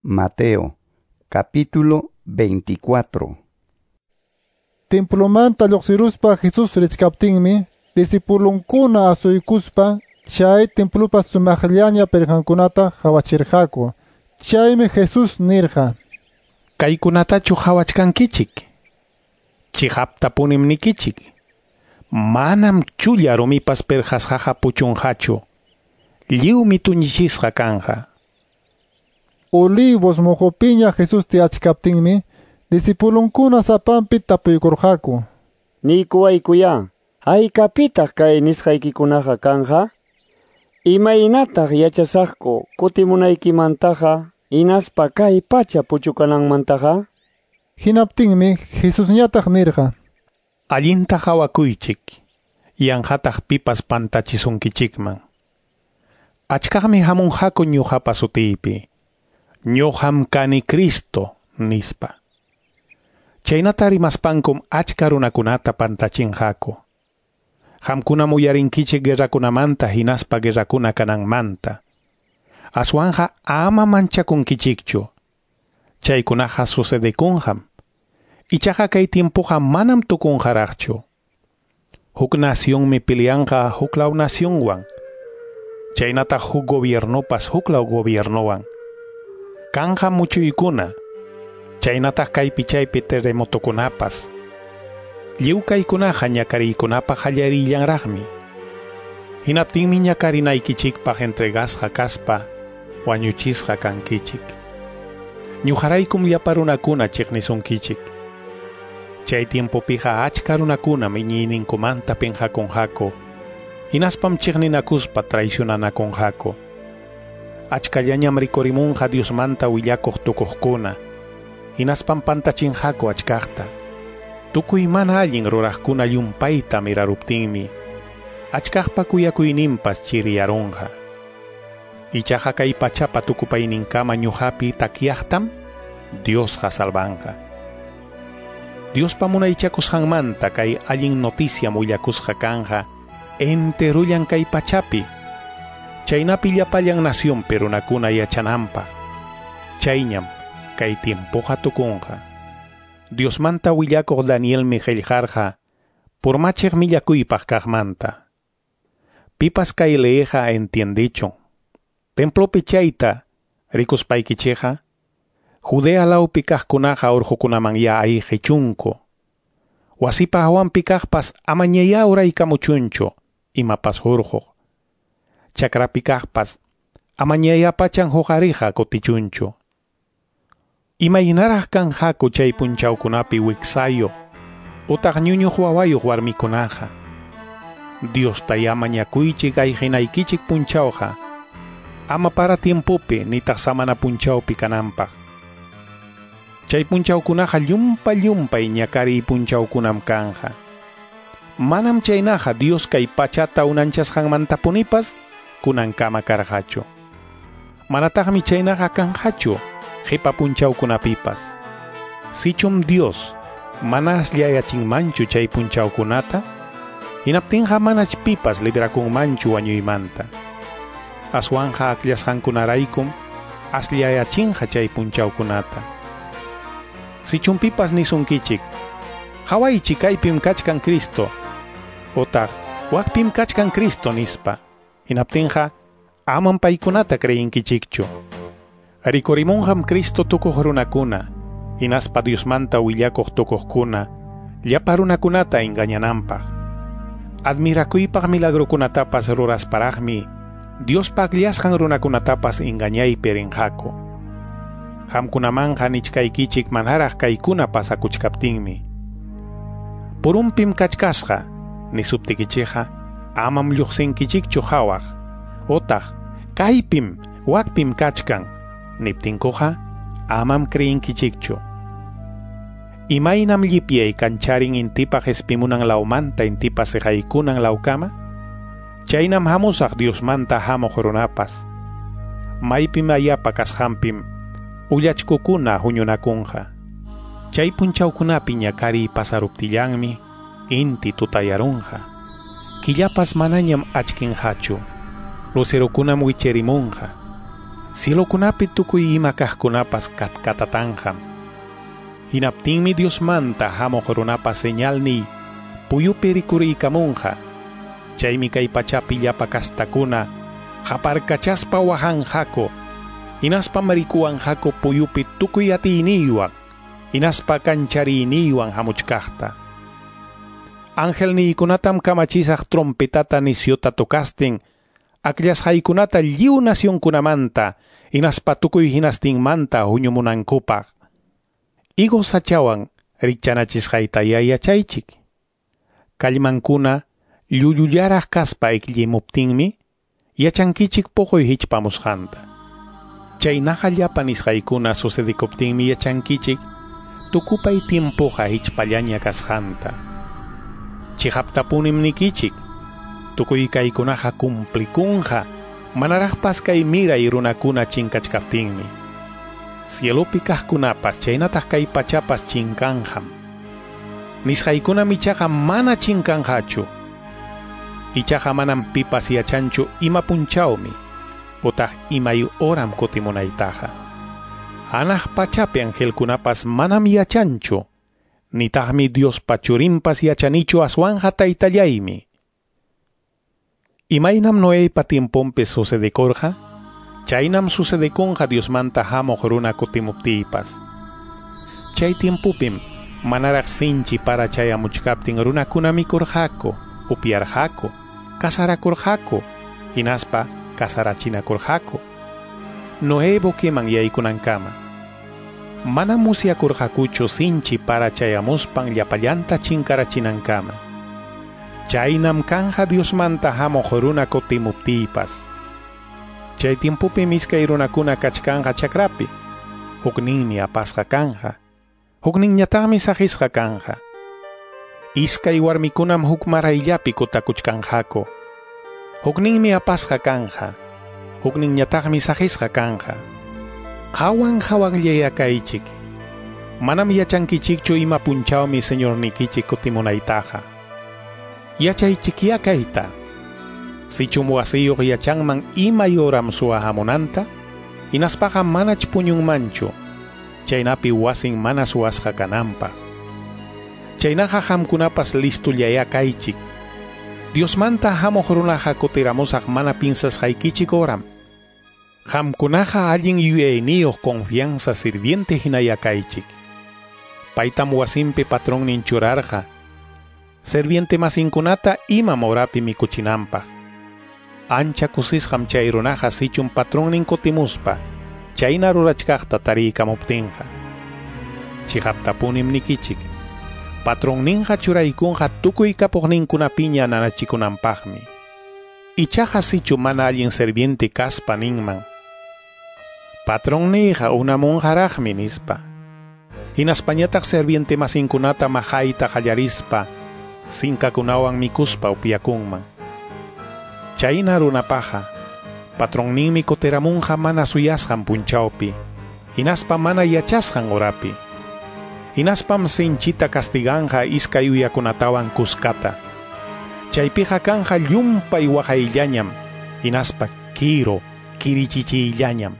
Mateo, capítulo 24. Templomanta lluqsiruspa Jesús richkaptinmi, disipulunkuna asuykuspa chay templopa sumaqllaña pirqankunata qhawachirqaku. Chaymi Jesús nirqa: Kaykunatachu qhawachkankichik? Chiqaptapunim nikichik. Manam chulla rumipas pirqasqaqa puchunqachu. Lliwmi tuñichisqa kanja. Olivos muqupiña Jesús tiyachkaptinmi, disipulunkuna sapanpi tapuykurqaku. Niykuwaykuyá, haykapitaq kay nisqaykikunaqa kanja? Imaynataq yachasaqku kutimunaykimantaqa hinaspa kay pacha puchukananmantaqa? Hinaptinmi Jesusñataq nirqa: Allinta qhawakuychik, yanqataq pipas pantachisunkichikman. Achkaqmi hamunqaku ñuqapa sutiypi. Ñuqam kani Cristo, nispa. Chaynata rimaspankum achka runakunata pantachinqaku. Qamkunam uyarinkichik guerrakunamanta hinaspa guerrakuna kananmanta. Aswanja ama manchakunkichikchu. Chaykunaqa sucedekunqam. Ichaqa kay tiempoqa manam tukunqaraqchu. Huk nacionmi peleanqa huklaw nacionwan. Chaynataq huk gobiernopas huklaw gobiernowan. Kanja muchuykuna, chaynataq kaypi chaypi terremotokunapas. Lliw kaykunaqa ñakariykunapaq qallarillanraqmi. Hinaptinmi ñakarinaykichikpaq entregasqa kaspa wañuchisqa kankichik. Ñuqaraykum llapa runakuna chiqnisunkichik. Chay tiempopiqa achka runakunam iñiyninkumanta pinqakunqaku. Hinaspam chiqninakuspa traicionanakunqaku. Achkallañam rikurimunqa Diosmanta willakuq tukuqkuna. Hinaspam pantachinqaku achkaqta. Tukuy mana allin ruraqkuna llumpayta miraruptinmi, achkaqpa kuyakuyninpas chiriyarunqa. Ichaqa kay pachapa tukupayninkama ñuqapi takyaqtam Diosqa salvanqa. Diospa munaychakusqanmanta kay allin noticiam willakusqa kanja enterullan kay pachapi. Chaynapi llapallan nacionpi runakuna yachananpaq. Chayñam kay tiempoqa tukunqa. Diosmanta willakuq Danielmi qillqarqa purmachiq millakuypaq kaqmanta. Pipas kay leeqa entiendichun. Templopi chayta rikuspaykichikqa, Judea lawpi kaqkunaqa urqukunaman ya ayqichunku. Wasipa hawanpi kaqpas amañayá uraykamuchunchu imapas hurquq. Chakrapi kaqpas amañayá pachan huqariqa kutichunchu. Imaynaraq kanqaku chay punchawkunapi wiksayuq utaq ñuñuq wawayuq warmikunaqa. Diosta mañakuychik ayqinaykichik punchawqa ama para tiempopi nitaq samana punchawpi kananpaq. Chay punchawkunaqa llumpa llumpay ñakariy punchawkunam kanja. Manam chaynaqa Dios kay pachata unanchasqanmantapunipas kunankama karqachu. Manataqmi chaynaqa kanqachu qipa punchawkunapipas. Sichum Dios mana asllayachinmanchu chay punchawkunata, hinaptinqa manach pipas librakunmanchu wañuymanta. Aswanja akllasqankunaraykum asllayachinqa chay punchawkunata. Sichum pipas nisunkichik, qhawaychik kaypim kachkan Cristo, utaq wakpim kachkan Cristo nispa, hinaptinqa amam paykunata creyinkichikchu. Rikurimunqam Cristo tukuq runakuna, hinaspa Diosmanta willakuq tukuqkuna, llapa runakunata engañananpaq. Admirakuypaq milagrokunatapas rurasparaqmi, Diospa akllasqan runakunatapas engañaypi rinqaku. Qamkunamanqa nichkaykichik manaraq kaykuna pasakuchkaptinmi. Purumpim kachkasqa, nisuptikichikqa, amam lluqsinkichikchu hawaq, utaq kaypim wakpim kachkan, niptinkuqa, amam creyinkichikchu. Imaynam llipyay kancharin intipa qhispimunan lawmanta intipa siqaykunan lawkama, chaynam hamusaq Diosmanta hamuq runapas. Maypim ayapa kasqanpim ullachkukuna huñunakunqa. Chay punchawkunapi ñakariy pasaruptillanmi inti tutayarunqa. Killapas manañam achkinqachu, lucerokunam wicherimunqa. Cielokunapi tukuy ima kaqkunapas katkatatanqam. Hinaptinmi Diosmanta hamuq runapa señalniy puyupi rikuriykamunqa. Chaymi kay pachapi llapa kastakuna qaparkachaspa wahanqaku. Hinaspam rikuwanqaku puyupi tukuy atiyniywan, hinaspa kanchariyniwan hamuchkaqta. Angelniykunatam kamachisaq trompetata nisyuta tocastin, akllasqaykunata lliw nacionkunamanta, hinaspa tukuy hinastinmanta huñumunankupaq. Higo sachawan rikchanachisqayta yachaychik. Kallmankuna llulullaraq kaspa ikllimuptinmi, yachankichik puquy hichpamusqanta. Chaynaqa llapa nisqaykuna sucedikuptinmi yachankichik tukupay tiempoqa hichpallaña kasqanta. Chiqaptapunim nikichik, tukuy kaykunaqa cumplikunqa manaraqpas kay miray runakuna chinkachkaptinmi. Cielopi kaqkunapas chaynataq kay pachapas chinkanqam. Nisqaykunam ichaqa mana chinkanqachu. Ichaqa manam pipas yachanchu ima punchawmi utaq imay horam kutimunaytaqa. Hanaq pachapi angelkunapas manam yachanchu, nitaqmi Diospa churinpas yachanichu aswanja taytallaymi. Imaynam Noeypa tiemponpi sucedikurqa, chaynam sucedekunqa Diosmanta hamuq runa kutimuptiypas. Chay tiempopim manaraq sinchi para chayamuchkaptin runakuna mikurqaku, upyarqaku, kasarakurqaku, hinaspa kasarachinakurqaku. Noé buqueman yaykunankama. Mana musyakurqakuchu sinchi para chayamuspan llapallanta chinkarachinankama. Chaynam kanja Diosmanta hamuq runa kutimuptiypas. Chay tiempopim iskay runakuna kachkanqa chakrapi. Hukninmi apasqa kanja, hukninñataqmi saqisqa kanja. Iskay warmikunam huk marayllapi kutakuchkanqaku. Hukninmi apasqa kanja, hukninñataqmi saqisqa kanja. Hawan hawanllaya kaychik. Manam yachankichikchu ima punchawmi Señornikichik kutimunaytaqa. Yachaychikya kayta. Sichum wasiyuq yachanman imay horam suwa hamunanta, hinaspaqa manach puñunmanchu, chaynapi wasin mana suwasqa kananpaq. Chaynaqa qamkunapas listullaya kaychik. Diosmanta hamuq runaqa kutiramusaq mana pinsasqaykichik horam. Qamkunaqa allin yuyayniyuq confianza sirviente hinaya kaychik. Paytam wasinpi patronnin churarqa, sirviente masinkunata imam horapi mikuchinanpaq. Ancha kusisqam chay runaqa sichum patronnin kutimuspa, chayna rurachkaqta tariykamuptinqa. Chiqaptapunim nikichik, patronninqa churaykunqa tukuy kapuqninkunapiña nanachikunanpaqmi. Ichaqa sichu mana allin sirviente kaspa ninman, patronniyqa unamunqaraqmi nispa. Hinaspañataq sirviente masinkunata maqayta qallarispa, sinkakunawan mikuspa upyakunman. Chayna runapaqa, patronninmi kutiramunqa mana suyasqan punchawpi, hinaspa mana yachasqan horapi. Hinaspam sinchita castiganqa iskay uyakunatawan kuskata. Chaypiqa kanja llumpay waqayllañam, hinaspa kiro, kirichichiyllañam.